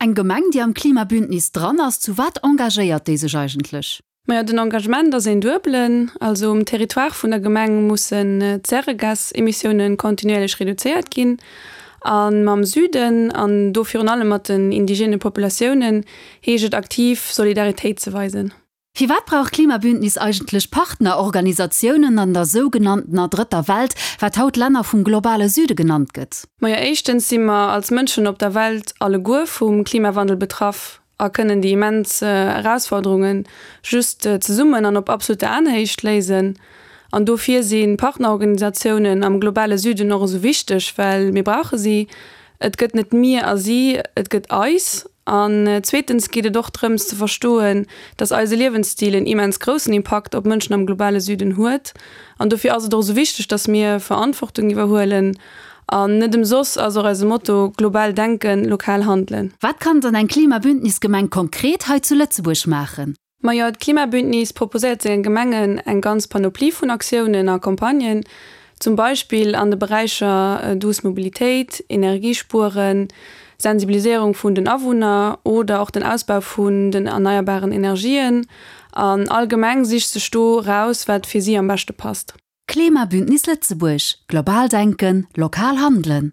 Eng Gemeng, déi am Klimabündnis dran ass, zu wat engagéiert déi sech eigentlech? Majo, den Engagement ass een duebelen. Also um Territoire vun der Gemeng mussen d'Zäregasemissiounen kontinuierlech reduzéiert ginn. A mam Süden, an do virun allem mat den indigene Populatiounen, heescht et aktiv Solidaritéit ze weisen. Firwat brauch d'Klimabündnis eigentlech Partnerorganisatiounen an der sougenanntener Drëtter Welt, wat haut Länner vum globale Süde genannt gëtt? Majo, éischtens si mer als Mënschen op der Welt alleguer vum Klimawandel betraff a kënnen déi immens Erausforderunge just zesummen an op absoluter Aenhéicht léisen. An dofir si Partnerorganisatiounen am globale Süden och esou wichteg, well mir brauche si. Et gëtt net mir a si, et gëtt eis. An zweetens geet et och drëms ze verstoen, dass eise Liewensstil en immens groussen Impakt op Mënschen am globale Süden huet. An dofir ass et och esou wichteg, dass mir Verantwortung iwwerhuelen. An net ëmsoss ass och eise Motto, Global denken, lokal handelen. Wat kann dann eng Klimabündnisgemeng konkret hei zu Lëtzebuerg maachen? Majo, d'Klimabündnis proposéiert senge Gemengen eng ganz Panoplie vun Aktiounen a Campagnen, zum Beispill an de Beräicher douce Mobilitéit, Energiespueren, Sensibiliséierung vun den Awunner oder och den Ausbau vun den erneierbaren Energien. An all Gemeng sicht sech do raus, wat fir si am beschte passt. Klimabündnis Lëtzebuerg, Global denken, lokal handelen!